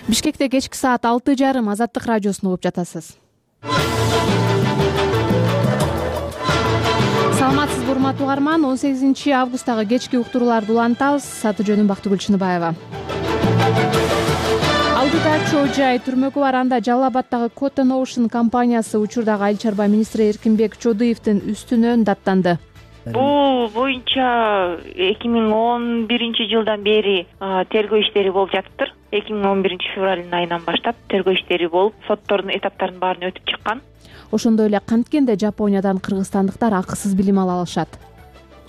Бишкекте кечки саат 6:30 Азаттык радиосун угуп жатасыз. Саламатсызбы урматтуу угарман, 18 августтагы кечки уктурууларды улантабыз. Аты жөнүм Бактыгүл Чыныбаева. Алдыда чоо жай түрмөгү бар, анда Жалал Абаддагы Cotton Ocean компаниясы учурдагы Айыл чарба министри Эркинбек Чодуевдин үстүнөн даттанды. Бул боюнча 2011-жылдан бери тергөө иштери болуп жатыптыр. 2011 февралдын айынан баштап тергөө иштери болуп, соттордун этаптарын баарын өтүп чыккан. Ошондой эле канткенде Жапониядан кыргызстандыктар акысыз билим ала алышат.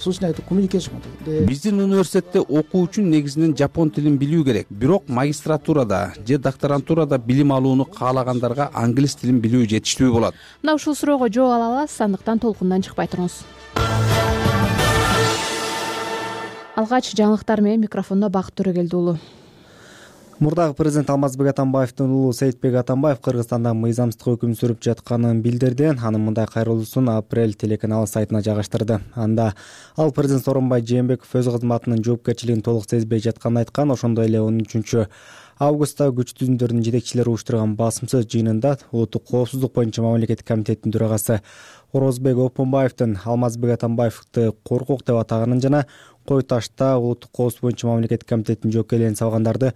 Биздин университетте окуу үчүн негизинен жапон тилин билүү керек. Бирок магистратурада же докторантурада билим алууну каалагандарга англис тилин билүү жетиштүү болот. Мына ушул суроого жооп ала аласыз, андыктан толкундан чыкпай туруңуз. Алгач жаңылыктар менен микрофондо Бакыт Төрөгелди уулу. Мурдагы президент Алмазбек Атамбаевдин уулу Сейитбек Атамбаев Кыргызстанда мыйзамсыздык өкүм сүрүп жатканын билдирди. Анын мындай кайрылуусун Апрель телеканалы сайтына жайгаштырды. Анда ал президент Сооронбай Жээнбеков өз кызматынын жоопкерчилигин толук сезбей жатканын айткан. Ошондой эле 13 августта күч түзүмдөрдүн жетекчилери уюштурган басымсыз жыйынында улуттук коопсуздук боюнча мамлекеттик комитеттин төрагасы Орозбек Опунбаевдин Алмазбек Атамбаевди коркок деп атаганын жана Кой Ташта улуттук коопсуздук боюнча мамлекеттик комитеттин жоопкерлигин салгандарды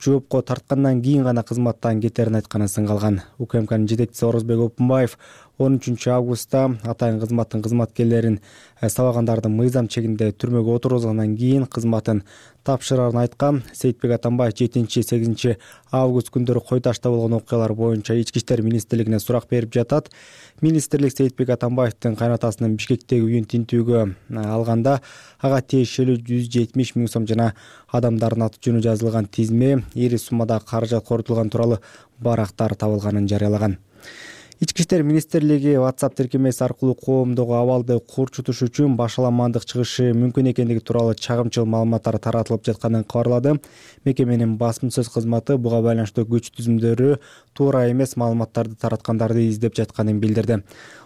жоопко тарткандан кийин гана кызматтан кетерин айтканы сынгалган. УКМКнын жетекчиси Орозбек Опунбаев 13 августта атайын кызматтын кызматкерлерин сабагандарды мыйзам чегинде түрмөгө отургузгандан кийин кызматын тапшырарын айткан. Сейитбек Атамбаев 7-8 август күндөрү Кой Ташта болгон окуялар боюнча Ички иштер министрлигине сурак берип жатат. Министрлик Сейитбек Атамбаевдин кайнатасынын Бишкектеги үйүн тинтүүгө алганда ага тиешелүү 170 000 сом жана адамдардын аты жөнү жазылган тизме, ири суммада каражат корутулган тууралуу барактар табылганын жарыялаган. Ички иштер министрлиги WhatsApp тиркемеси аркылуу коомдогу абалды курчутуш үчүн башаламандык чыгышы мүмкүн экендиги тууралуу чагымчыл маалыматтар таратылып жатканын кабарлады. Мекеменин басмасөз кызматы буга байланыштуу күч түзүмдөрү туура эмес маалыматтарды тараткандарды издеп жатканын билдирди.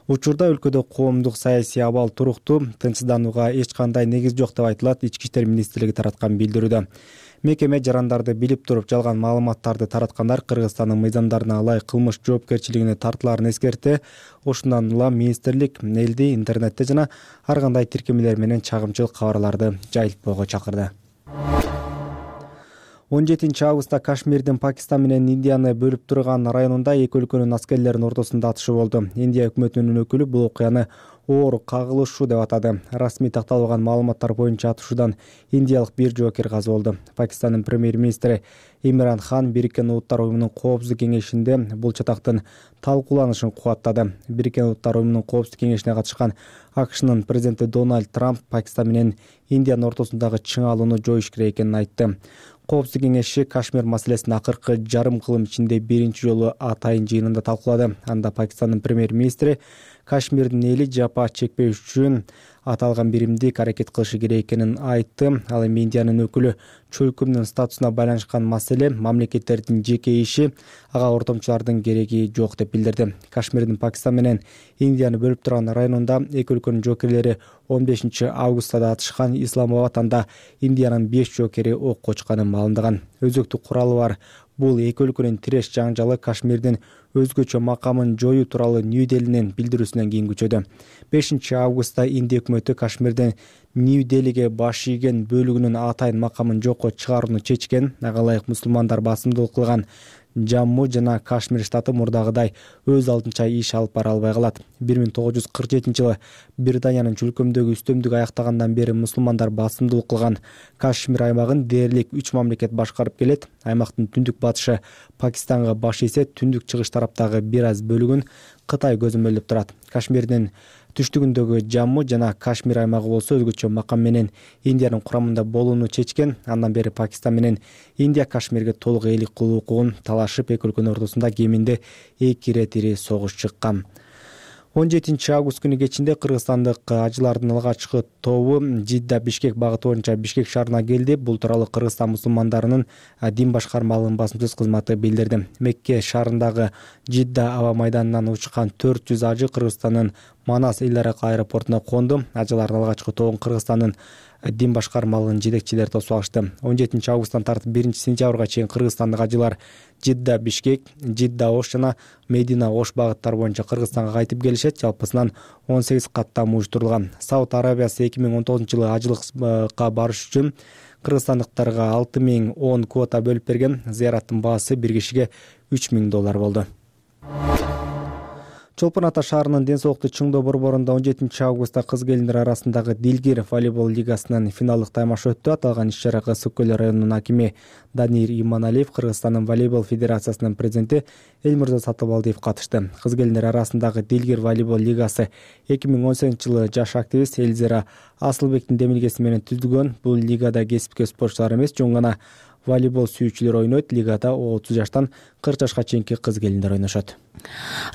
Учурда өлкөдө коомдук саясий абал туруктуу, тынчсызданууга эч кандай негиз жок деп айтылат Ички иштер министрлиги тараткан билдирүүдө. Мекеме жарандарды билип туруп жалган маалыматтарды тараткандар Кыргызстандын мыйзамдарына ылайык кылмыш жоопкерчилигине тартылаарын эскерти. Ошондон улам министрлик элди интернетте жана ар кандай тиркемелер менен чагымчыл кабарларды жайылтпоого чакырды. 17 августта Кашмирдин Пакистан менен Индияны бөлүп турган районунда эки өлкөнүн аскерлеринин ортосунда атышы болду. Индия өкмөтүнүн өкүлү бул окуяны оор кагылышуу деп атады. Расмий такталган маалыматтар боюнча атышуудан индиялык бир жоокер каза болду. Пакистандын премьер-министри Имран Хан Бириккен Улуттар уюмунун коопсуздук кеңешинде бул чатактын талкууланышын кубаттады. Бириккен Улуттар уюмунун коопсуздук кеңешине катышкан АКШнын президенти Дональд Трамп Пакистан менен Индиянын ортосундагы чыңалууну жоюш керек экенин айтты. Коопсуздук кеңеши Кашмир маселесин акыркы жарым кылым ичинде биринчи жолу атайын жыйынында талкуулады. Анда Пакистандын премьер-министри Кашмирдин эли жапа чекпеш үчүн аталган биримдик аракет кылышы керек экенин айтты. Ал эми Индиянын өкүлү чөлкөмдүн статусуна байланышкан маселе мамлекеттердин жеке иши, ага ортомчулардын кереги жок деп билдирди. Кашмирдин Пакистан менен Индияны бөлүп турган районунда эки өлкөнүн жоокерлери 15 августта да атышкан. Исламабад анда Индиянын 5 жоокери окко учканын маалымдаган. Өзөктүк куралы бар бул эки өлкөнүн тиреш жаңжалы Кашмирдин өзгөчө макамын жоюу тууралуу Нью-Делинин билдирүүсүнөн кийин күчөдү. 5 августта Индия өкмөтү Кашмирдин Нью-Делиге баш ийген бөлүгүнүн атайын макамын жокко чыгарууну чечкен. Ага ылайык мусулмандар басымдуулук кылган Жамму жана Кашмир штаты мурдагыдай өз алдынча иш алып бара албай калат. 1947-жылы Британиянын чөлкөмдөгү үстөмдүгү аяктагандан бери мусулмандар басымдуулук кылган Кашмир аймагын дээрлик 3 мамлекет башкарып келет. Аймактын түндүк батышы Пакистанга баш ийсе, түндүк чыгыш тараптагы бир аз бөлүгүн Кытай көзөмөлдөп турат. Кашмирдин түштүгүндөгү Жамму жана Кашмир аймагы болсо өзгөчө макам менен Индиянын курамында болууну чечкен. Андан бери Пакистан менен Индия Кашмирге толук ээлик кылуу укугун талашып, эки өлкөнүн ортосунда кеминде 2 ирет ири согуш чыккан. 17 август күнү кечинде кыргызстандык ажылардын алгачкы тобу Жидда Бишкек багыты боюнча Бишкек шаарына келди. Бул тууралуу Кыргызстан мусулмандарынын дин башкармалыгынын басмасөз кызматы билдирди. Мекке шаарындагы Жидда аба майданынан учкан 400 ажы Кыргызстандын Манас эл арак аэропортуна конду. Ажылардын алгачкы тобун Кыргызстандын дин башкармалыгынын жетекчилери тосуп алышты. 17 августтан тартып 1 сентябрга чейин кыргызстандык ажылар Жидда Бишкек, Жидда Ош жана Медина Ош багыттары боюнча Кыргызстанга кайтып келишет. Жалпысынан 18 каттам уюштурулган. Сауд Арабиясы 2019-жылы ажылыкка барыш үчүн кыргызстандыктарга 6010 квота бөлүп берген. Зыяраттын баасы бир кишиге $3000 болду. Чолпон Ата шаарынын ден соолукту чыңдоо борборунда 17 августта кыз-келиндер арасындагы Дилгир волейбол лигасынын финалдык таймашы өттү. Аталган иш-чарага Ысык-Көл районунун акими Данир Иманалиев, Кыргызстандын волейбол федерациясынын президенти Элмирза Сатыбалдиев катышты. Кыз-келиндер арасындагы Дилгир волейбол лигасы 2018-жылы жаш активист Эльзира Асылбектин демилгеси менен түзүлгөн. Бул лигада кесипкөй спортчулар эмес, жөн гана волейбол сүйүүчүлөр ойнойт. Лигада 30 жаштан 40 жашка чейинки кыз-келиндер ойношот.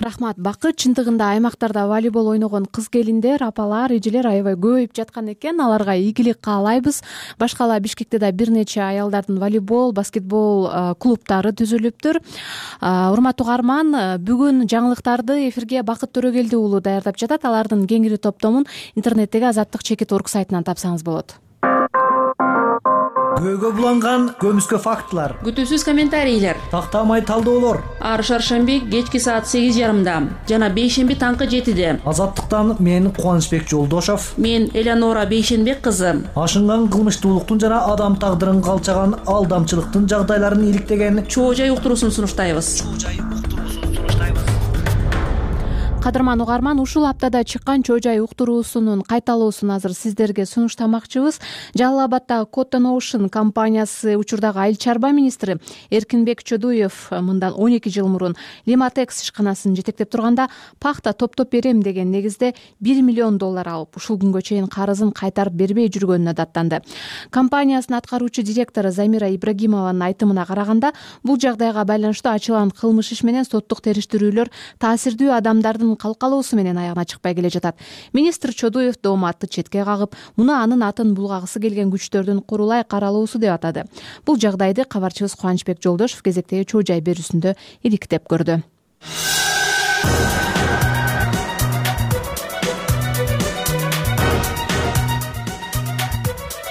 Рахмат. Бакыт, чындыгында аймактарда волейбол ойногон кыз-келиндер, апалар, эжелер аябай көбөйүп жаткан экен. Аларга ийгилик каалайбыз. Башкала Бишкекте да бир нече аялдардын волейбол, баскетбол клубтары түзүлүптүр. Урматтуу угарман, бүгүн жаңылыктарды эфирге Бакыт Төрөгелди уулу даярдап жатат. Алардын кеңири топтомун интернеттеги Азаттык-Чекит.org сайтынан тапсаңыз болот. Көөгө буланган көмүскө фактылар, күтүүсүз комментарийлер, тактамай талдоолор. Ар шаршемби кечки саат 8:30 жана бейшемби таңкы 7:00. Азаттыктан мен Кубанычбек Жолдошов, мен Элеонора Бейшенбек кызы. Ашынган кылмыштуулуктун жана адам тагдырын калчаган алдамчылыктын жагдайларын иликтеген чоо жай уктуруусун сунуштайбыз. Кадырман угарман, ушул аптада чыккан чоо жай уктуруусунун кайталоосун азыр сиздерге сунуштамакчыбыз. Жалал Абаддагы Cotton Ocean компаниясы учурдагы айыл чарба министри Эркинбек Чодуев мындан 12 жыл мурун Limatex ишканасын жетектеп турганда пахта топтоп берем деген негизде $1 миллион алып, ушул күнгө чейин карызын кайтарып бербей жүргөнүнө даттанды. Компаниясынын аткаруучу директору Замира Ибрагимованын айтымына караганда, бул жагдайга байланыштуу ачылган кылмыш иш менен соттук териштирүүлөр таасирдүү адамдардын калкалоосу менен аягына чыкпай келе жатат. Министр Чодуев дооматты четке кагып, муну анын атын булгагысы келген күчтөрдүн курулай каралоосу деп атады. Бул жагдайды кабарчыбыз Кубанычбек Жолдошов кезектеги чоо жай берүүсүндө иликтеп көрдү.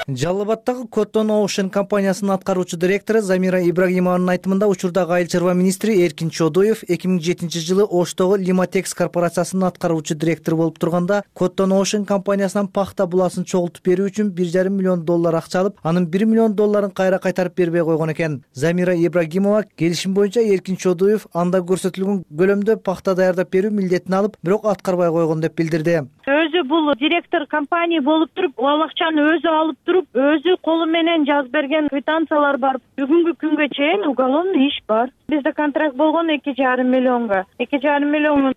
Жалал Абаддагы Cotton Ocean компаниясынын аткаруучу директору Замира Ибрагимованын айтымында учурдагы айыл чарба министри Эркин Чодуев 2007-жылы Оштогу Limatex корпорациясынын аткаруучу директору болуп турганда Cotton Ocean компаниясынан пахта буласын чогултуп берүү үчүн $1,5 миллион акча алып, анын $1 миллион кайра кайтарып бербей койгон экен. Замира Ибрагимова келишим боюнча Эркин Чодуев анда көрсөтүлгөн көлөмдө пахта даярдап берүү милдетин алып, бирок аткарбай койгон деп билдирди. Өзү бул директор компания болуп туруп, ал акчаны өзү алып туруп, өзү колу менен жазып берген квитанциялар бар. Бүгүнкү күнгө чейин уголовный иш бар. Бизде контракт болгон $2,5 миллионго. $2,5 миллион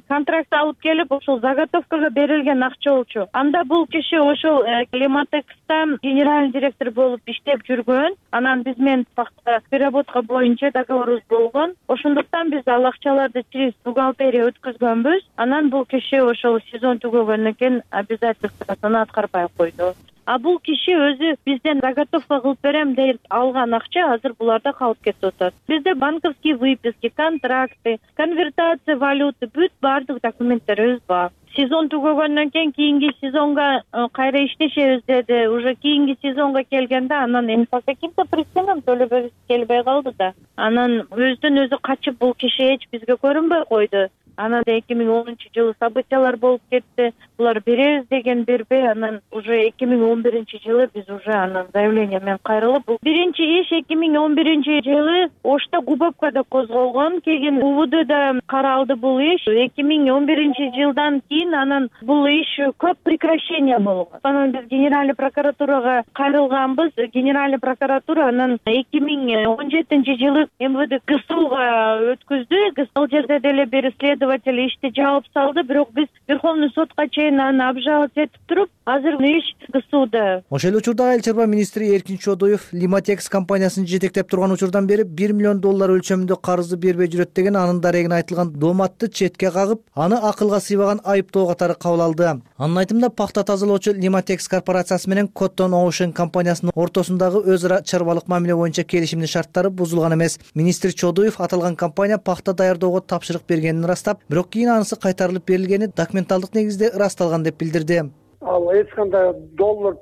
контракт алып келип, ошол заготовкага берилген акча болчу. Анда бул киши ошол Limatex'та генеральный директор болуп иштеп жүргөн. Анан биз менен пахта переработка боюнча договорубуз болгон. Ошондуктан биз ал акчаларды через бухгалтерия өткөзгөнбүз. Анан бул киши ошол сезон түгөгөндөн кийин обязательствосын аткарбай койду. А бул киши өзү бизден заготовка кылып берем деп алган акча азыр буларда калып кетип атат. Бизде банковские выписки, контракты, конвертация валюты, бүт баардык документтерибиз бар. Сезон түгөгөндөн кийинки сезонго кайра иштешебиз деди. Уже кийинки сезонго келгенде анан по каким-то причинам төлөбөбүз келбей калды да. Анан өздөн өзү качып бул киши эч бизге көрүнбөй койду. Анан 2010-жылы событиялар болуп кетти. Булар беребиз деген бербей, анан уже 2011-жылы биз уже анан заявление менен кайрылып, бул биринчи иш 2011-жылы Ошто Губовкада козголгон. Кийин УВДда каралды бул иш. 2011-жылдан кийин анан бул иш көп прекращение болгон. Анан биз генеральный прокуратурага кайрылганбыз. Генеральный прокуратура анан 2017-жылы МВД ГСУга өткөздү. Ал жерде деле бир следователь ишти жаап салды, бирок биз Верховный сотко чейин аны обжаловать этип туруп, азыр иш ГСУда. Ошол учурда айыл чарба министри Эркин Чодуев Limatex компаниясын жетектеп турган учурдан бери $1 миллион өлчөмүндө карызды бербей жүрөт деген анын дарегине айтылган дооматты четке кагып, аны акылга сыйбаган айыптоо катары кабыл алды. Анын айтымында пахта тазалоочу Limatex корпорациясы менен Cotton Ocean компаниясынын ортосундагы өз ара чарбалык мамиле боюнча келишимдин шарттары бузулган эмес. Министр Чодуев аталган компания пахта даярдоого тапшырык бергенин ырастап, бирок кийин анысы кайтарылып берилгени документалдык негизде ырасталган деп билдирди. ал эч кандай доллар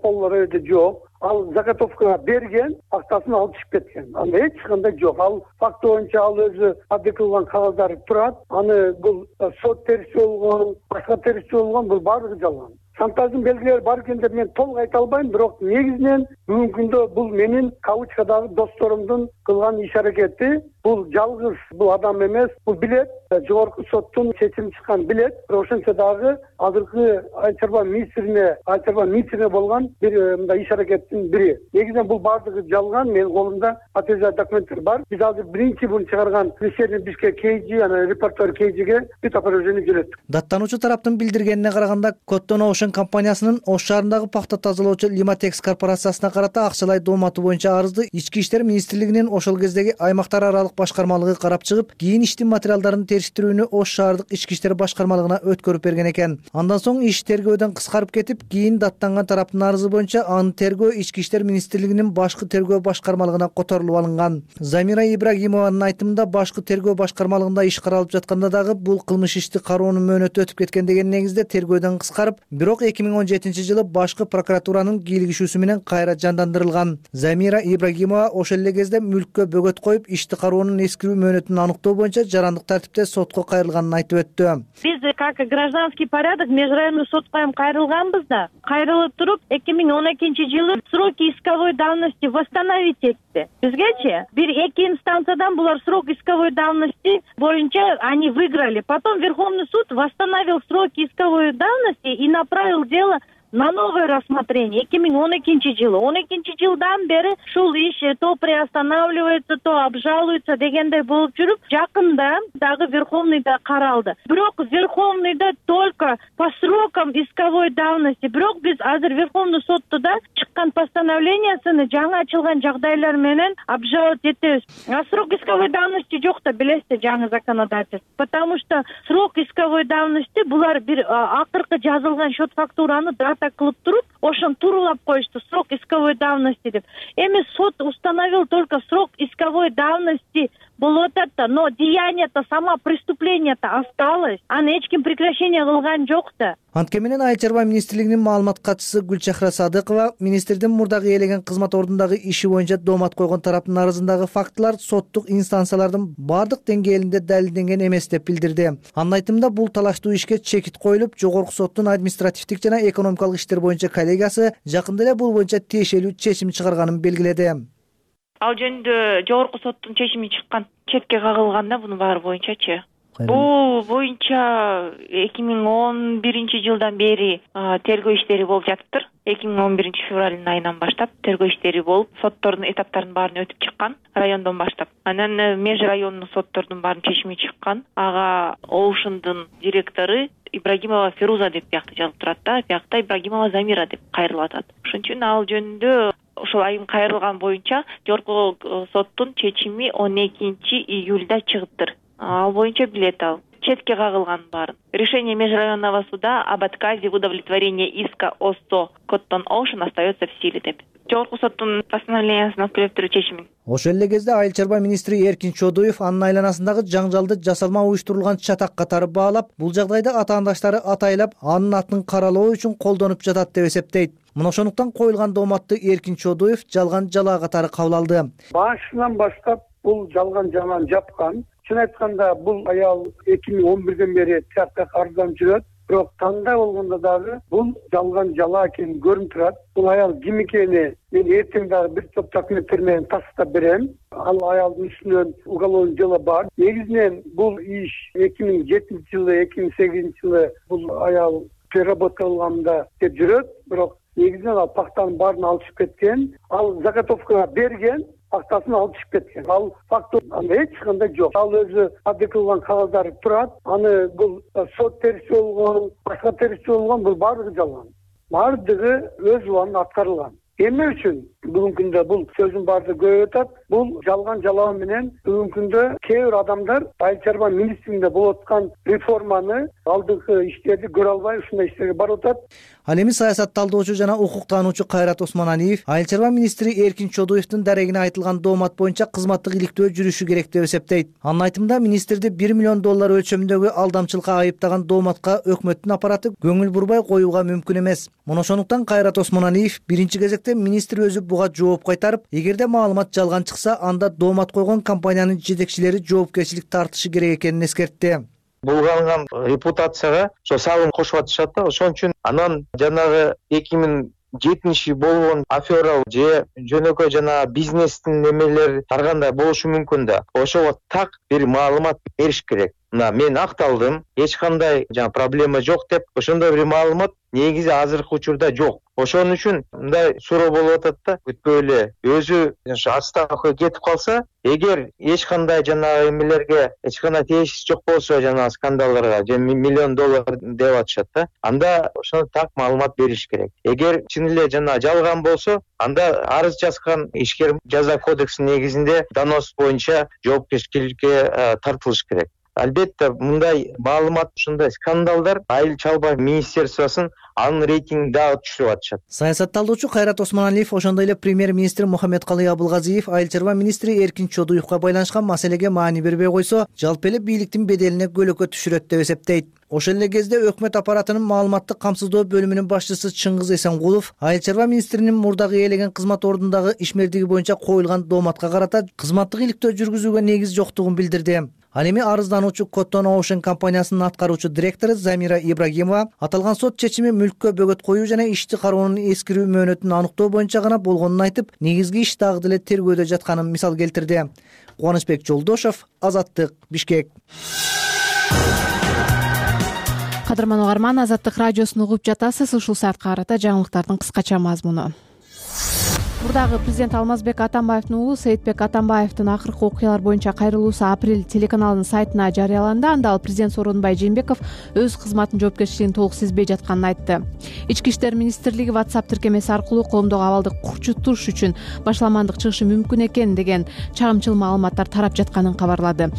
өтө жок. Ал заготовка берген, актасын алып чыгып кеткен. Анда эч кандай жок. Ал факт боюнча ал өзү адек кылган кагаздар турат. Аны бул сот терisi болгон, башка терisi болгон, бул баардыгы жалган. Шантаждын белгилери бар экен деп мен толук айта албайм, бирок негизинен бүгүнкү күндө бул менин кавычкадагы досторумдун кылган иш аракети. Бул жалгыз бул адам эмес, бул билет, жогорку соттун чечими чыккан билет. Ошентсе дагы азыркы Айыл чарба министрине болгон бир мындай иш аракеттин бири. Негизинен бул баардыгы жалган. Менин колумда подтверждать документтер бар. Биз азыр биринчи буну чыгарган Вечерний Бишкек KG, анан Репортер KG'ге бүт опровержение жөнөттүк. Даттануучу тараптын билдиргенине караганда, Коттон Оушен компаниясынын Ош шаарындагы пахта тазалоочу Limatex корпорациясына карата акчалай доомату боюнча арызды Ички иштер министрлигинин ошол кездеги аймактар аралык башкармалыгы карап чыгып, кийин иштин материалдарын териштирүүнү Ош шаардык ички иштер башкармалыгына өткөрүп берген экен. Андан соң иш тергөөдөн кыскарып кетип, кийин даттанган тараптын арызы боюнча анын тергөө Ички иштер министрлигинин башкы тергөө башкармалыгына которулуп алынган. Замира Ибрагимованын айтымында, башкы тергөө башкармалыгында иш каралып жатканда дагы бул кылмыш ишти кароонун мөөнөтү өтүп кеткен деген негизде тергөөдөн кыскарып, бирок 2017-жылы башкы прокуратуранын кийлигишүүсү менен кайра жандандырылган. Замира Ибрагимова ошол эле кезде мүлккө бөгөт коюп, ишти кароонун эскирүү мөөнөтүн аныктоо боюнча жарандык тартипте сотко кайрылганын айтып өттү. Биз как гражданский порядок межрайонный сотко кайрылганбыз да. Кайрылып туруп 2012-жылы сроки исковой давности восстановить этти. Бизгечи бир эки инстанциядан булар срок исковой давности боюнча они выиграли. Потом Верховный суд восстановил сроки исковой давности и направил дело на новое рассмотрение 2012-жылы. 12-жылдан бери ушул иш то приостанавливается, то обжалуется дегендей болуп жүрүп, жакында дагы Верховныйда каралды. Бирок Верховныйда только по срокам исковой давности. Бирок биз азыр Верховный сотто чыккан постановлениясыны жаңы ачылган жагдайлар менен обжаловать этебиз. А срок исковой давности жок да, билесиз, жаңы законодательство. Потому что срок исковой давности булар бир акыркы жазылган счет фактураны так кылып туруп, ошон турулап коюшту, срок исковой давности деп. Эми суд установил только срок исковой давности болуп атат, но деяние-то, сама преступление-то осталось. Аны эч ким прекращение кылган жок да. Антке менен Айыл чарба министрлигинин маалымат катчысы Гүлчахра Садыкова министрдин мурдагы ээлеген кызмат ордундагы иши боюнча доомат койгон тараптын арызындагы фактылар соттук инстанциялардын бардык деңгээлинде далилденген эмес деп билдирди. Анын айтымында, бул талаштуу ишке чекит коюлуп, жогорку соттун административдик жана экономикалык иштер боюнча коллегиясы жакында эле бул боюнча тиешелүү чечим чыгарганын белгиледи. Ал жөнүндө жогорку соттун чечими чыккан, четке кагылганда бунун баары боюнчачы. Бул боюнча 2011-жылдан бери тергөө иштери болуп жатыптыр. 2011 айынан баштап тергөө иштери болуп, соттордун этаптарын баарын өтүп чыккан, райондон баштап. Анан меж райондук соттордун баарын чечими чыккан. Ага Оушендун директору Ибрагимова Феруза деп биякта жазылып турат да, биякта Ибрагимова Замира деп кайрылып атат. Ошон үчүн ал жөнүндө ошол айым кайрылган боюнча жогорку соттун чечими 12 июлда чыгыптыр. Ал боюнча билет ал. Четке кагылган баарын. Решение межрайонного суда об отказе в удовлетворении иска ОСО Коттон Оушен остается в силе деп. Жогорку соттун постановлениясын өткөрүп туруу чечими. Ошол эле кезде Айыл чарба министри Эркин Чодуев анын айланасындагы жаңжалды жасалма уюштурулган чатак катары баалап, бул жагдайда атаандаштары атайлап, анын атын каралоо үчүн колдонуп жатат деп эсептейт. Мына ошондуктан коюлган дооматты Эркин Чодуев жалган жалаа катары кабыл алды. Башынан баштап бул жалган жалааны жапкан. Чын айтканда, бул аял 2011-ден бери тиякта арызданып жүрөт. Бирок таңда болгондо дагы бул жалган жалаа экени көрүнүп турат. Бул аял ким экени мен эртең дагы бир топ документтер менен тастап берем. Ал аялдын үстүнөн уголовный дело бар. Негизинен бул иш 2007-жылы, 2008-жылы бул аял переработка кылганда деп жүрөт. Бирок негизинен ал пахтанын баарын алып чыгып кеткен. Ал заготовка берген, актасын алып чыгып кеткен. Ал факт эч кандай жок. Ал өзү адек кылган кагаздар турат. Аны бул сот терisi болгон, башка терisi болгон, бул баардыгы жалган. Баардыгы өз убагында аткарылган. Эмне үчүн бүгүнкү күндө бул сөздүн баардыгы көбөйүп атат? бул жалган жалаа менен бүгүнкү күндө кээ бир адамдар айыл чарба министрлигинде болуп аткан реформаны, алдыңкы иштерди көрө албай ушундай иштерге барып атат. Ал эми саясат талдоочу жана укуктануучу Кайрат Осмоналиев айыл чарба министри Эркин Чодуевдин дарегине айтылган доомат боюнча кызматтык иликтөө жүрүшү керек деп эсептейт. Анын айтымында министрди $1 миллион өлчөмүндөгү алдамчылыкка айыптаган дооматка өкмөттүн аппараты көңүл бурбай коюуга мүмкүн эмес. Мына ошондуктан Кайрат Осмоналиев биринчи кезекте министр өзү буга жооп кайтарып, эгерде маалымат жалган чыкса, анда доомат койгон компаниянын жетекчилери жоопкерчилик тартышы керек экенин эскертти. Булганган репутацияга ошо салым кошуп атышат да. Ошон үчүн анан жанагы 2007 болгон афера же жөнөкөй жана бизнестин немелери таргандай болушу мүмкүн да. Ошого так бир маалымат бериш керек. Мына мен акталдым, эч кандай жана проблема жок деп, ошондой бир маалымат негизи азыркы учурда жок. Ошон үчүн мындай суроо болуп атат да, күтпөй эле өзү отставкага кетип калса, эгер эч кандай жанагы эмелерге эч кандай тиешеси жок болсо, жанагы скандалдарга же $1 миллион деп атышат да, анда ошону так маалымат бериш керек. Эгер чын эле жанагы жалган болсо, анда арыз жазган ишкер жаза кодексинин негизинде донос боюнча жоопкерчиликке тартылыш керек. Албетте мындай маалымат, ушундай скандалдар айыл чарба министерствосун анын рейтинги дагы түшүрүп атышат. Саясат талдоочу Кайрат Осмоналиев ошондой эле премьер-министр Мухаммедкалый Абылгазиев айыл чарба министри Эркин Чодуевга байланышкан маселеге маани бербей койсо, жалпы эле бийликтин беделине көлөкө түшүрөт деп эсептейт. Ошол эле кезде өкмөт аппаратынын маалыматтык камсыздоо бөлүмүнүн башчысы Чыңгыз Эсенгулов айыл чарба министринин мурдагы ээлеген кызмат ордундагы ишмердиги боюнча коюлган дооматка карата кызматтык иликтөө жүргүзүүгө негиз жоктугун билдирди. Ал эми арыздануучу Cotton Ocean компаниясынын аткаруучу директору Замира Ибрагимова аталган сот чечими мүлккө бөгөт коюу жана ишти кароонун эскирүү мөөнөтүн аныктоо боюнча гана болгонун айтып, негизги иш дагы деле тергөөдө жатканын мисал келтирди. Кубанычбек Жолдошов, Азаттык, Бишкек. Кадырман угарман, Азаттык радиосун угуп жатасыз. Ушул саатка карата жаңылыктардын кыскача мазмуну. Мурдагы президент Алмазбек Атамбаевдин уулу Сейитбек Атамбаевдин акыркы окуялар боюнча кайрылуусу Апрель телеканалынын сайтына жарыяланды. Анда ал президент Сооронбай Жээнбеков өз кызматынын жоопкерчилигин толук сезбей жатканын айтты. Ички иштер министрлиги WhatsApp тиркемеси аркылуу коомдогу абалды курчутуш үчүн башламандык чыгышы мүмкүн экен деген чагымчыл маалыматтар тарап жатканын кабарлады.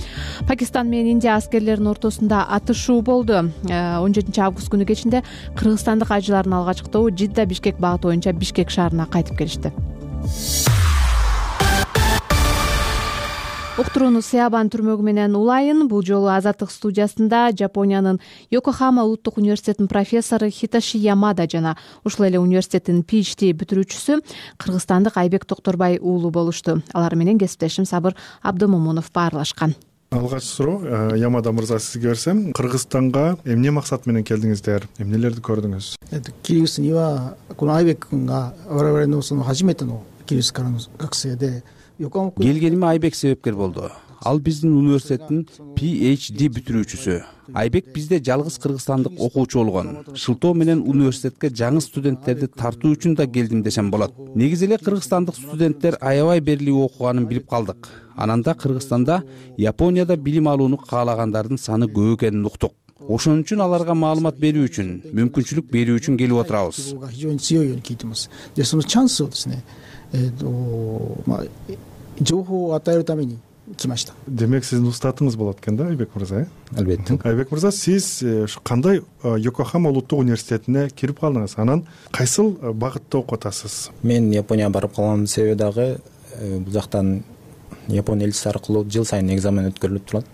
Пакистан менен Индия аскерлеринин ортосунда атышуу болду. 17 август күнү кечинде кыргызстандык ажылардын алгачкы тобу Жидда-Бишкек багыты боюнча Бишкек шаарына кайтып келишти. Уктурууну Сеабан түрмөгү менен улайын. Бул жолу Азаттык студиясында Жапониянын Йокохама улуттук университетинин профессору Хитоши Ямада жана ушул эле университеттин PhD бүтүрүүчүсү кыргызстандык Айбек Токторбай уулу болушту. Алар менен кесиптешим Сабыр Абдымомунов баарлашкан. Алгач суроо Ямада мырза сизге берсем, Кыргызстанга эмне максат менен келдиңиздер? Эмнелерди көрдүңүз? キリギリスにはこのアイベック君が我々のその初めてのキリギリスからの学生で、横浜君келгениме Айбек себепкер болду. Ал биздин университеттин PhD бүтүрүүчүсү. Айбек бизде жалгыз кыргызстандык окуучу болгон. Шылтоо менен университетке жаңы студенттерди тартуу үчүн да келдим десем болот. Негизи эле кыргызстандык студенттер аябай берилип окуганын билип калдык. Анан да Кыргызстанда, Японияда билим алууну каалагандардын саны көп экенин уктук. Ошон үчүн аларга маалымат берүү үчүн, мүмкүнчүлүк берүү үчүн келип отурабыз. でそのチャンスをですね、情報を与えるために来ました。 Демек сиздин устатыңыз болот экен да, Айбек мырза? Албетте. Айбек мырза, сиз ушу кандай Йокохама улуттук университетине кирип калдыңыз? Анан кайсыл багытта окуп атасыз? Мен Японияга барып калган себеби дагы бул жактан Япония элчиси аркылуу жыл сайын экзамен өткөрүлүп турат.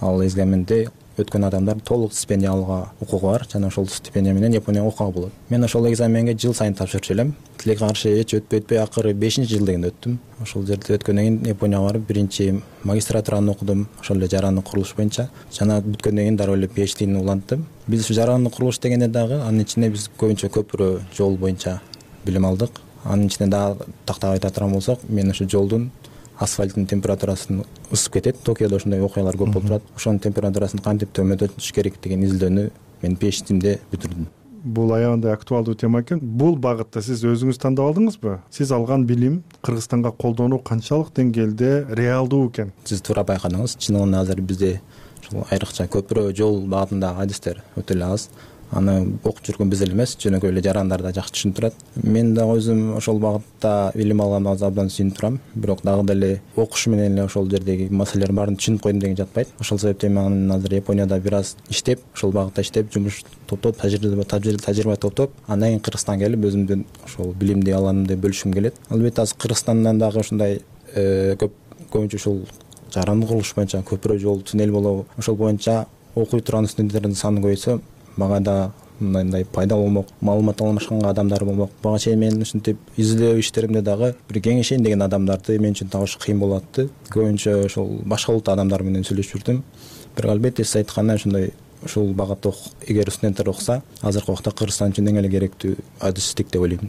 Ал экзаменде өткөн адамдар толук стипендия алууга укугу бар жана ошол стипендия менен Японияга окууга болот. Мен ошол экзаменге жыл сайын тапшырчу элем. Тилекке каршы эч өтпөй акыры 5-жыл дегенде өттүм. Ошол жерде өткөндөн кийин Японияга барып биринчи магистратураны окудум, ошол эле жарандык курулуш боюнча. Жана бүткөндөн кийин дароо эле PhD'ни уланттым. Биз ушу жарандык курулуш дегенде дагы анын ичинде биз көбүнчө көпүрө жол боюнча билим алдык. Анын ичинде дагы тактап айта турган болсок, мен ушу жолдун асфальттын температурасын ысып кетет. Токиодо ошондой окуялар көп болуп турат. Ошонун температурасын кантип төмөндөтүш керек деген изилдөөнү мен PhD'мде бүтүрдүм. Бул аябай актуалдуу тема экен. Бул багытта сиз өзүңүз тандап алдыңызбы? Сиз алган билим Кыргызстанга колдонуу канчалык деңгээлде реалдуу экен? Сиз туура байкадыңыз. Чынында азыр бизде ушул айрыкча көпүрө жол багытындагы адистер өтө эле аз. аны окуп жүргөн биз эле эмес, жөнөкөй эле жарандар да жакшы түшүнүп турат. Мен дагы өзүм ошол багытта билим алганга абдан сүйүнүп турам. Бирок дагы деле окуш менен эле ошол жердеги маселелердин баарын түшүнүп койдум деген жатпайт. Ошол себептен мен азыр Японияда бир аз иштеп, ошол багытта иштеп, жумуш топтоп, тажрыйба топтоп, андан кийин Кыргызстанга келип өзүмдүн ошол билимди алганымды бөлүшкүм келет. Албетте азыр Кыргызстандан дагы ушундай көбүнчө ушул жарандык курулуш боюнча көпүрө жол, туннель болобу, ошол боюнча окуй турган студенттердин саны көбөйсө, мага да мындай пайдалуу болмок, маалымат алмашканга адамдар болмок. Бага чейин мен ушинтип изилдөө иштеримде дагы бир кеңешейин деген адамдарды мен үчүн табыш кыйын болуп атты. Көбүнчө ошол башка улуттун адамдары менен сүйлөшүп жүрдүм. Бирок албетте сиз айткандай ушундай ушул багытта эгер студенттер окуса, азыркы убакта Кыргызстан үчүн эң эле керектүү адистик деп ойлойм.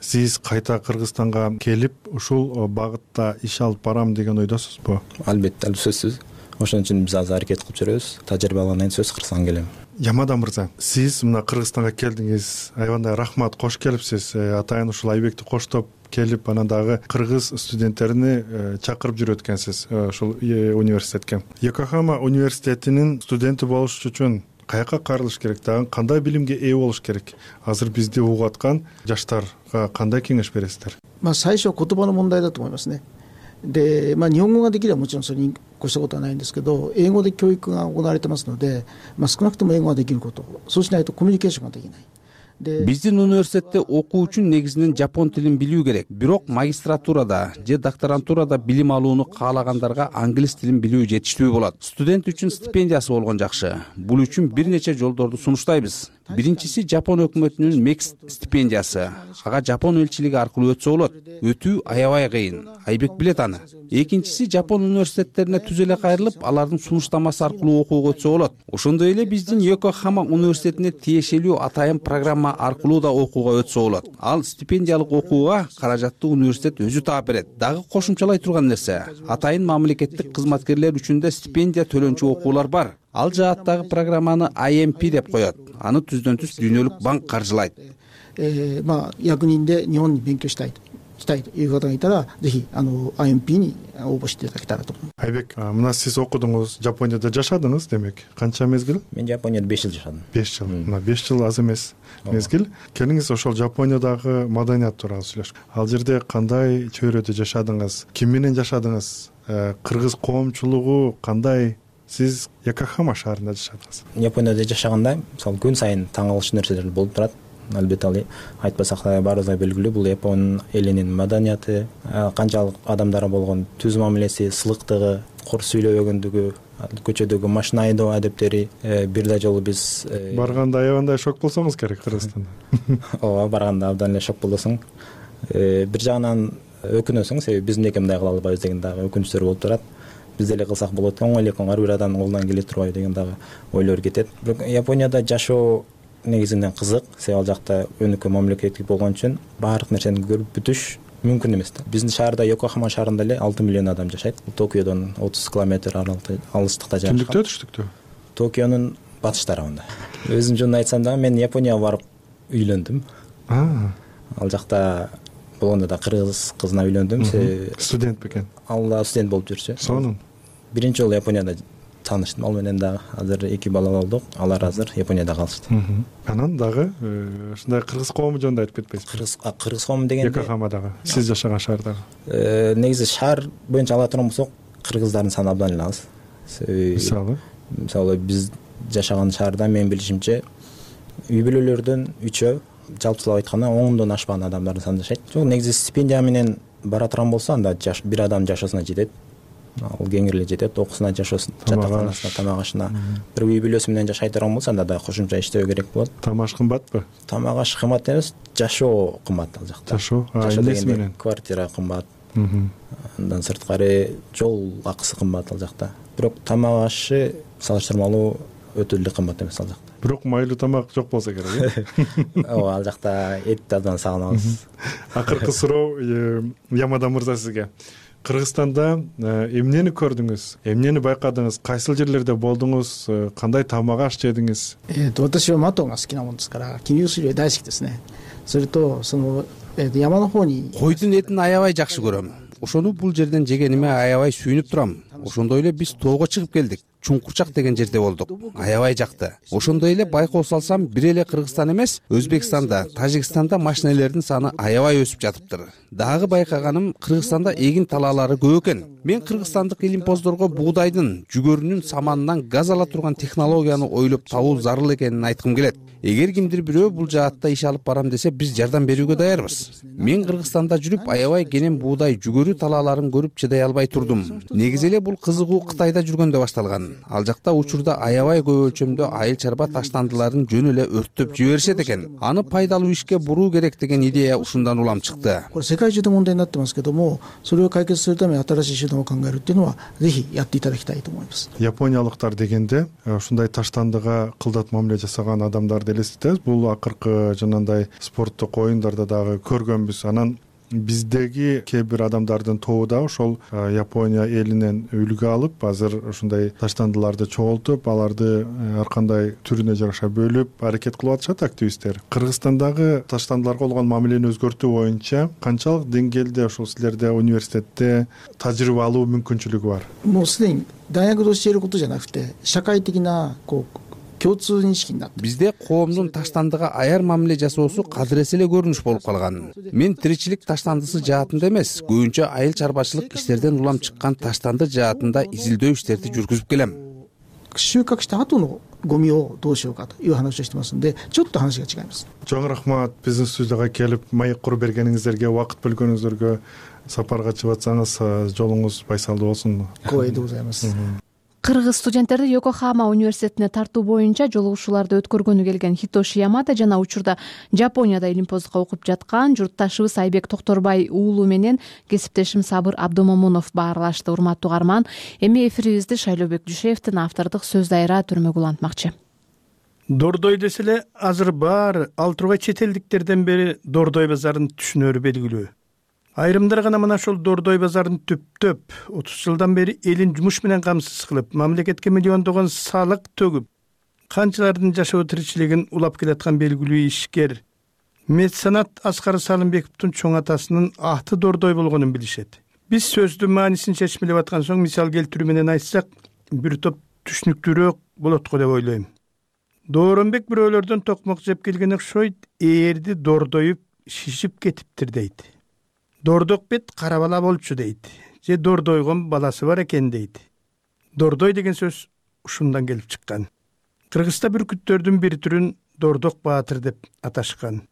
Сиз кайта Кыргызстанга келип ушул багытта иш алып барам деген ойдосузбу? Албетте, сөзсүз. Ошон үчүн биз азыр аракет кылып жүрөбүз. Тажрыйба алгандан кийин сөзсүз Кыргызстанга келем. Ямада мырза, сиз мына Кыргызстанга келдиңиз, аябандай рахмат, кош келипсиз. Атайын ушул Айбекти коштоп келип, анан дагы кыргыз студенттерини чакырып жүрөт экенсиз ушул университетке. Йокохама университетинин студенти болуш үчүн каяка карылыш керек, дагы кандай билимге ээ болуш керек? Азыр бизди угуп аткан жаштарга кандай кеңеш бересиздер? 最初言葉の問題だと思いますね。で、日本語ができればもちろんそれに越したことはないんですけど、英語で教育が行われてますので、少なくとも英語ができること、そうしないとコミュニケーションができない。Биздин университетте окуу үчүн негизинен жапон тилин билүү керек. Бирок магистратурада же докторантурада билим алууну каалагандарга англис тилин билүү жетиштүү болот. Студент үчүн стипендиясы болгон жакшы. Бул үчүн бир нече жолдорду сунуштайбыз. Биринчиси Жапон өкмөтүнүн MEX стипендиясы. Ага Жапон элчилиги аркылуу өтсө болот. Өтүү аябай кыйын. Айбек билет аны. Экинчиси Жапон университеттерине түз эле кайрылып, алардын сунуштамасы аркылуу окууга өтсө болот. Ошондой эле биздин Йокохама университетине тиешелүү атайын программа аркылуу да окууга өтсө болот. Ал стипендиялык окууга каражатты университет өзү таап берет. Дагы кошумчалай турган нерсе, атайын мамлекеттик кызматкерлер үчүн да стипендия төлөнчү окуулар бар. Ал жааттагы программаны IMP деп коет. Аны түздөн түз Дүйнөлүк банк каржылайт. 役人で日本に勉強したいという方がいたら、ぜひIMP に応募していただけたらと思います。Айбек, мына сиз окудуңуз, Жапонияда жашадыңыз демек. Канча мезгил? Мен Жапонияда 5 жыл жашадым. 5 жыл. Мына 5 жыл аз эмес мезгил. Келиңиз ошол Жапониядагы маданият тууралуу сүйлөшкү. Ал жерде кандай чөйрөдө жашадыңыз? Ким менен жашадыңыз? Кыргыз коомчулугу кандай? Сиз Йокохама шаарында жашадыңыз. Японияда жашаганда, мисалы, күн сайын таң калыштуу нерселер болуп турат. Албетте ал айтпасак да баарыбызга белгилүү, бул Япон элинин маданияты, канчалык адамдарга болгон түз мамилеси, сылыктыгы, кор сүйлөбөгөндүгү, көчөдөгү машина айдоо адептери. Бир да жолу биз барганда аябандай шок болсоңуз керек Кыргызстанда. Ооба, барганда абдан эле шок болосуң. Бир жагынан өкүнөсүң, себеби биз эмнеге мындай кыла албайбыз деген дагы өкүнүчтөр болуп турат. Биз деле кылсак болот, оңой эле ар бир адамдын колунан келе турбайбы деген дагы ойлор кетет. Бирок Японияда жашоо негизинен кызык, себеби ал жакта өнүккөн мамлекеттик болгон үчүн баардык нерсени көрүп бүтүш мүмкүн эмес да. Биздин шаарда, Йокохама шаарында эле 6 миллион адам жашайт. Токиодон 30 километр алыстыкта жашайт. Түндүктө, түштүктө? Токионун батыш тарабында. Өзүм жөнүндө айтсам дагы, мен Японияга барып үйлөндүм. Ал жакта болгондо да кыргыз кызына үйлөндүм. Студент бекен? Ал да студент болуп жүрчү. Сонун. Биринчи жолу Японияда тааныштым. Ал менен дагы азыр 2 бала болдук. Алар азыр Японияда калышты. Анан дагы ушундай кыргыз коому жөнүндө айтып кетпейсизби? Кыргыз коому дегенде Йокохамадагы, сиз жашаган шаардагы. Негизи шаар боюнча ала турган болсок, кыргыздардын саны абдан эле аз. Мисалы, биз жашаган шаарда менин билишимче үй бүлөлөрдөн 3-өө, жалпысылап айтканда 10дон ашпаган адамдардын саны жашайт. Жок, негизи стипендия менен бара турган болсо, анда бир адам жашоосуна жетет. Ал кеңири эле жетет, окуусуна, жашоосуна, жатаканасына, тамак ашына. Бир үй бүлөсү менен жашай турган болсо, анда да кошумча иштөө керек болот. Тамак аш кымбатпы? Тамак аш кымбат эмес, жашоо кымбат ал жакта. Жашоо эмнеси менен? Квартира кымбат. Андан сырткары жол акысы кымбат ал жакта. Бирок тамак ашы салыштырмалуу өтө эле кымбат эмес ал жакта. Бирок майлуу тамак жок болсо керек, э? Ооба, ал жакта этти абдан сагынабыз. Акыркы суроо Ямада мырза сизге. Кыргызстанда эмнени көрдүңүз? Эмнени байкадыңыз? Кайсыл жерлерде болдуңуз? Кандай тамак аш жедиңиз? 私はマトンが好きなもんですから、桐生水類大好きですね。それと山の方に Койдун этин аябай жакшы көрөм. Ошону бул жерден жегениме аябай сүйүнүп турам. Ошондой эле биз тоого чыгып келдик. Чуңкурчак деген жерде болдук. Аябай жакты. Ошондой эле байкоо салсам, бир эле Кыргызстан эмес, Өзбекстанда, Тажикстанда машинелердин саны аябай өсүп жатыптыр. Дагы байкаганым, Кыргызстанда эгин талаалары көп экен. Мен кыргызстандык илимпоздорго буудайдын, жүгөрүнүн саманынан газ ала турган технологияны ойлоп табуу зарыл экенин айткым келет. Эгер кимдир бирөө бул жаатта иш алып барам десе, биз жардам берүүгө даярбыз. Мен Кыргызстанда жүрүп, аябай кенен буудай, жүгөрү талааларын көрүп чыдай албай турдум. Негизи эле бул кызыгуу Кытайда жүргөндө башталган. Ал жакта учурда аябай көп өлчөмдө айыл чарба таштандыларын жөн эле өрттөп жиберишет экен. Аны пайдалуу ишке буруу керек деген идея ушундан улам чыкты. これ世界中で問題になってますけども、それを解決するために新しい手段を考えるっていうのはぜひやっていただきたいと思います。Япониялыктар дегенде ушундай таштандыга кылдат мамиле жасаган адамдарды элестетебиз. Бул акыркы жанагындай спорттук оюндарда дагы көргөнбүз. Анан биздеги кээ бир адамдардын тобу да ошол Япония элинен үлгү алып, азыр ушундай таштандыларды чогултуп, аларды ар кандай түрүнө жараша бөлүп аракет кылып атышат активисттер. Кыргызстандагы таштандыларга болгон мамилени өзгөртүү боюнча канчалык деңгээлде ошол силерде университетте тажрыйба алуу мүмкүнчүлүгү бар? もうすでに大学で教えることじゃなくて、社会的な共通認識になって。 Бизде коомдун таштандыга аяр мамиле жасоосу кадыресе эле көрүнүш болуп калган. Мен тиричилик таштандысы жаатында эмес, көбүнчө айыл чарбачылык иштерден улам чыккан таштанды жаатында изилдөө иштерди жүргүзүп келем. 収穫した後のゴミをどうしようかという話をしてますので、ちょっと話が違います。 Чоң рахмат биздин студияга келип маек куруп бергениңиздерге, убакыт бөлгөнүңүздөргө, сапарга чыгып атсаңыз жолуңуз байсалдуу болсун. 光栄でございます。 Кыргыз студенттерди Йокохама университетине тартуу боюнча жолугушууларды өткөргөнү келген Хитоши Ямада жана учурда Жапонияда илимпоздукка окуп жаткан журтташыбыз Айбек Токторбай уулу менен кесиптешим Сабыр Абдомомунов баарлашты. Урматтуу угарман, эми эфирибизди Шайлообек Дүйшеевдин автордук сөз дайра түрмөгү улантмакчы. Дордой деселе азыр бар ал тургай чет элдиктерден бери Дордой базарын түшүнөрү белгилүү. Айрымдар гана мына ошол Дордой базарын түптөп 30 жылдан бери элин жумуш менен камсыз кылып, мамлекетке миллиондогон салык төгүп, канчалардын жашоо тиричилигин улап келаткан белгилүү ишкер меценат Аскар Салымбековдун чоң атасынын аты Дордой болгонун билишет. Биз сөздүн маанисин чечмелеп аткан соң мисал келтирүү менен айтсак, бир топ түшүнүктүүрөөк болот го деп ойлойм. Дооронбек бирөөлөрдөн токмок жеп келген окшойт, ээрди дордоюп шишип кетиптир дейт. Дордок бет кара бала болчу дейт. Же дордойгон баласы бар экен дейт. Дордой деген сөз ушундан келип чыккан. Кыргызста бүркүттөрдүн бир түрүн Дордок баатыр деп аташкан.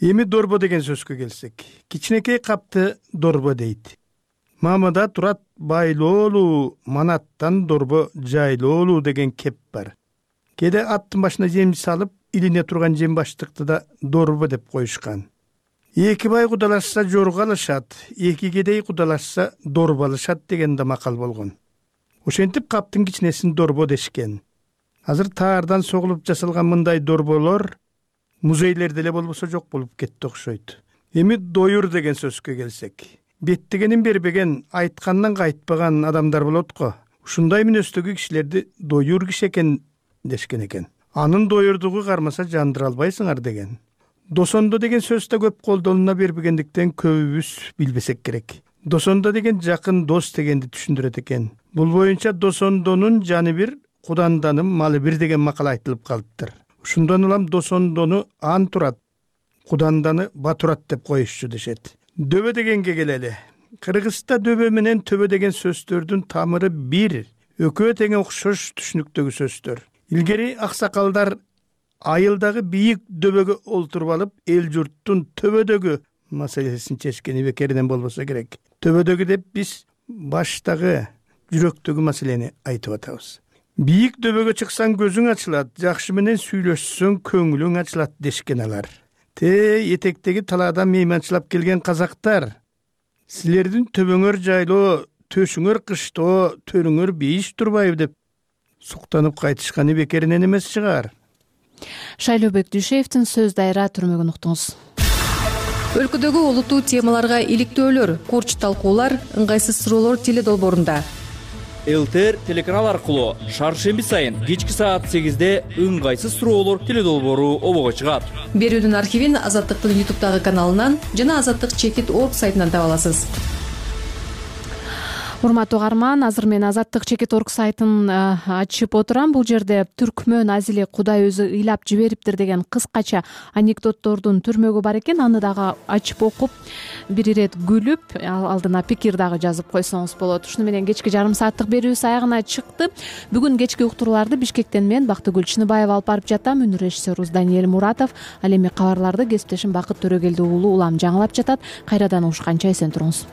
Эми дорбо деген сөзгө келсек, кичинекей капты дорбо дейт. Мамада турат байлоолуу, манаттан дорбо жайлоолуу деген кеп бар. Кээде аттын башына жем салып, илине турган жем баштыкты да дорбо деп коюшкан. Эки бай кудалашса жорго алышат, эки кедей кудалашса дорбо алышат деген да макал болгон. Ошентип каптын кичинесин дорбо дешкен. Азыр таардан согулуп жасалган мындай дорболор музейлерде эле болбосо жок болуп кетти окшойт. Эми доюр деген сөзгө келсек, беттигенин бербеген, айткандан кайтпаган адамдар болот го. Ушундай мүнөздөгү кишилерди доюр киши экен дешкен экен. Анын доюрдугу кармаса жандыра албайсыңар деген. Досондо деген сөз да көп колдонула бербегендиктен көбүбүз билбесек керек. Досондо деген жакын дос дегенди түшүндүрөт экен. Бул боюнча досондонун жаны бир, куданданын малы бир деген макал айтылып калыптыр. Ушундан улам досондону ан турат, куданданы батурат деп коюшчу дешет. Дөбө дегенге келели. Кыргызста дөбө менен төбө деген сөздөрдүн тамыры бир, экөө тең окшош түшүнүктөгү сөздөр. Илгери аксакалдар айылдагы бийик дөбөгө олтуруп алып, эл журттун төбөдөгү маселесин чечкени бекеринен болбосо керек. Төбөдөгү деп биз баштагы, жүрөктөгү маселени айтып атабыз. Бийик дөбөгө чыксаң көзүң ачылат, жакшы менен сүйлөшсөң көңүлүң ачылат дешкен алар. Этектеги талаадан мейманчылап келген казактар, силердин төбөңөр жайлоо, төшүңөр кыштоо, төрүңөр бейиш турбайбы деп суктанып кайтышканы бекеринен эмес чыгар. Шайлообек Дүйшеевдин сөз дайра түрмөгүн уктуңуз. Өлкөдөгү олуттуу темаларга иликтөөлөр, курч талкуулар, ыңгайсыз суроолор теледолбоорунда. ЛТР телеканал аркылуу шаршемби сайын кечки саат 8-де ыңгайсыз суроолор теледолбоору обого чыгат. Берүүдүн архивин Азаттыктын YouTube'дагы каналынан жана Азаттык Чекит.org сайтынан таба аласыз. урматтуу угарман, азыр мен Азаттык Чекит.org сайтын ачып отурам. Бул жерде түркмөн азили Кудай өзү ыйлап жибериптир деген кыскача анекдоттордун түрмөгү бар экен. Аны дагы ачып окуп, бир ирет күлүп, алдына пикир дагы жазып койсоңуз болот. Ушуну менен кечки жарым сааттык берүүбүз аягына чыкты. Бүгүн кечки уктурууларды Бишкектен мен Бактыгүл Чыныбаева алып барып жатам. Үнү режиссерубуз Даниэль Муратов. Ал эми кабарларды кесиптешим Бакыт Төрөгелди уулу улам жаңылап жатат. Кайрадан угушканча эсен туруңуз.